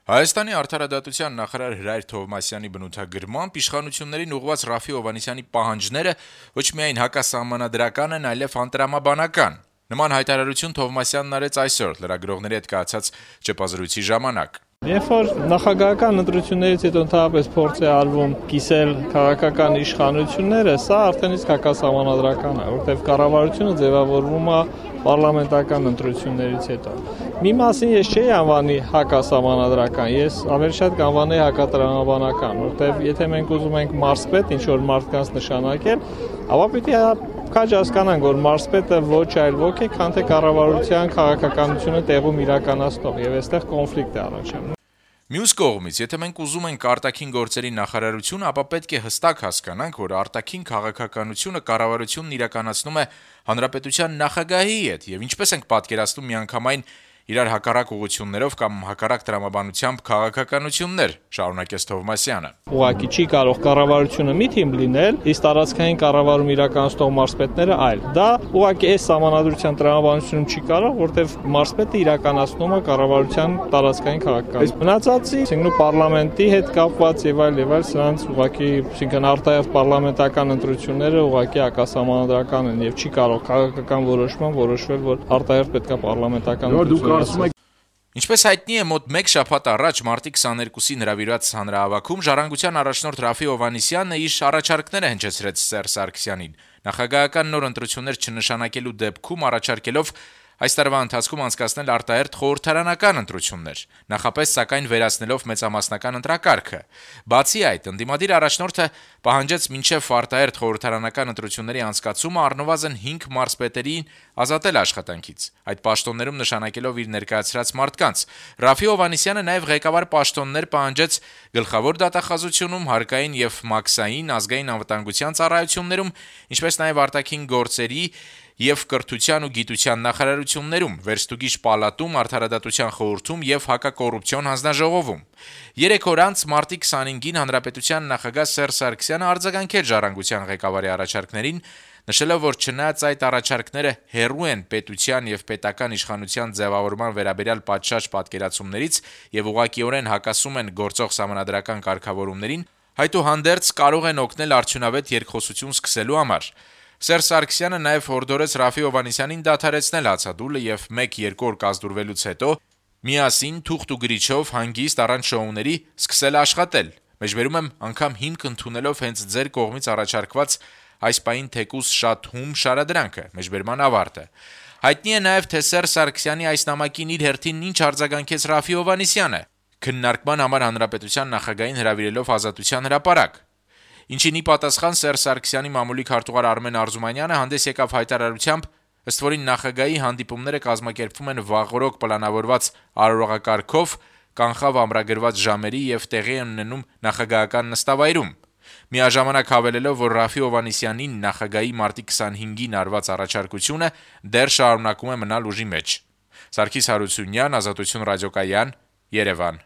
Հայաստանի արդարադատության նախարար Հրայր Թովմասյանի բնութագրմամբ իշխանություններին ուղղված Րաֆֆի Հովհաննիսյանի պահանջները ոչ միայն հակասահմանադրական են, այլև անտրամաբանական։ Նման հայտարարություն Թովմասյանն արեց այսօր լրագրողների հետ կայացած ճեպազրույցի ժամանակ։ Երբ որ նախագահական ընտրություններից հետո ընդհանրապես փորձ է արվում կիսել քաղաքական իշխանությունները, սա արդեն իսկ հակասահմանադրական է, որտեղ կառավարությունը ձևավորվում է պարլամենտական ընտրություններից հետո։ Մի մասին ես չէի անվանի հակասահմանադրական, ես ավելի շատ կանվանեի հակատրամաբանական, որտեղ եթե մենք ուզում ենք մարզպետ ինչ-որ մարդկանց նշանակել, ապա պիտի քաջ հասկանանք, որ մարզպետը ոչ այլ ոք է, քան թե կառավարության քաղաքականությունը տեղում իրականացնող, եւ այստեղ կոնֆլիկտ է առաջանում։ Մյուս կողմից, եթե մենք ուզում ենք արտաքին գործերի նախարարություն, ապա պետք է հստակ հասկանանք, որ արտաքին քաղաքականությունը կառավարությունն իրականացնում է հանրապետության նախագահի հետ, եւ ինչպես ենք պատկերացնում միանգամայն իրար հակառակ ուղղություններով կամ հակառակ տրամաբանությամբ քաղաքականություններ, շարունակեց Թովմասյանը։ Ուղղակի չի կարող կառավարությունը մի թիմ լինել, իսկ տարածքային կառավարում իրականացնող մարզպետները այլ։ Դա ուղղակի այս սահմանադրության տրամաբանությունում չի կարող, որտեղ մարզպետը իրականացնում է կառավարության տարածքային քաղաքականություն։ Մնացածի, այսինքն պարլամենտի հետ կապված եւ այլ, սրանց ուղղակի, այսինքն արտահերթ պարլամենտական ընտրությունները ուղղակի հակասահմանադրական են եւ չի կարող քաղաքական որոշման որոշվել, որ արտահերթ պետք է պարլամենտական Ինչպես հայտնի է, մոտ 1 շաբաթ առաջ մարտի 22-ին հրավիրված հանրահավաքում ժառանգության առաջնորդ Րաֆֆի Հովհաննիսյանը իր առաջարկները հնչեցրեց Սերժ Սարգսյանին, նախագահական նոր ընտրություններ չնշանակելու դեպքում առաջարկելով այս տարվա ընթացքում անցկացնել արտահերթ խորհրդարանական ընտրություններ, նախապես սակայն վերացնելով մեծամասնական ընտրակարգը։ Բացի այդ, ընդդիմադիր առաջնորդը պահանջեց մինչև արտահերթ խորհրդարանական ընտրությունների անցկացումը առնվազն 5 մարզպետերին ազատել աշխատանքից, այդ պաշտոններում նշանակելով իր ներկայացրած մարդկանց։ Րաֆֆի Հովհաննիսյանը նաև ղեկավար պաշտոններ պահանջեց գլխավոր դատախազությունում, հարկային եւ մաքսային ազգային անվտանգության ծառայություններում, ինչպես նաև արտաքին գործերի եւ կրթության ու գիտության նախարարություններում, վերստուգիչ պալատում, արդարադատության խորհրդում եւ հակակոռուպցիոն հանձնաժողովում։ 3 օր անց մարտի 25-ին հանրապետության նախագահ Սերժ Սարգսյանը արձագանքեց ժառանգության ղեկավարի առաջարկներին, նշելով, որ չնայած այդ առաջարկները հեռու են պետության եւ պետական իշխանության ձևավորման վերաբերյալ պատշաճ պատկերացումներից եւ ուղղակիորեն հակասում են գործող սահմանադրական կարգավորումներին, այդուհանդերձ կարող են օգնել արդյունավետ երկխոսություն սկսելու համար։ Սերժ Սարգսյանը նաև հորդորեց Րաֆֆի Հովհաննիսյանին դադարեցնել հացադուլը եւ 1-2 օր կազդուրվելուց հետո միասին թուղթ ու գրիչով հանգիստ առանց շոուների սկսել աշխատել։ Մեջբերում եմ անգամ հիմք ընդունելով հենց ձեր կողմից առաջարկված այս պահին թեկուզ շատ հում շարադրանքը, մեջբերման ավարտը։ Հայտնի է նաև, թե Սերժ Սարգսյանի այս նամակին իր հերթին ինչ արձագանքեց Րաֆֆի Հովհաննիսյանը, քննարկման համար հանրապետության նախագահին հրավիրելով Ազատության հրապարակ։ Ինչին ի պատասխան Սերժ Սարգսյանի մամուլի քարտուղար Արմեն Արզումանյանը հանդես եկավ հայտարարությամբ, ըստ որին նախագահի հանդիպումները կազմակերպվում են վաղօրոք պլանավորված արարողակարգով, կանխավ ամրագրված ժամերի եւ տեղի են ունենում նախագահական նստավայրում։ Միաժամանակ հավելելով, որ Րաֆֆի Հովհաննիսյանին նախագահի մարտի 25-ին արված առաջարկությունը դեռ շարունակում է մնալ ուժի մեջ։ Սարգիս Հարությունյան, Ազատություն ռադիոկայան, Երևան։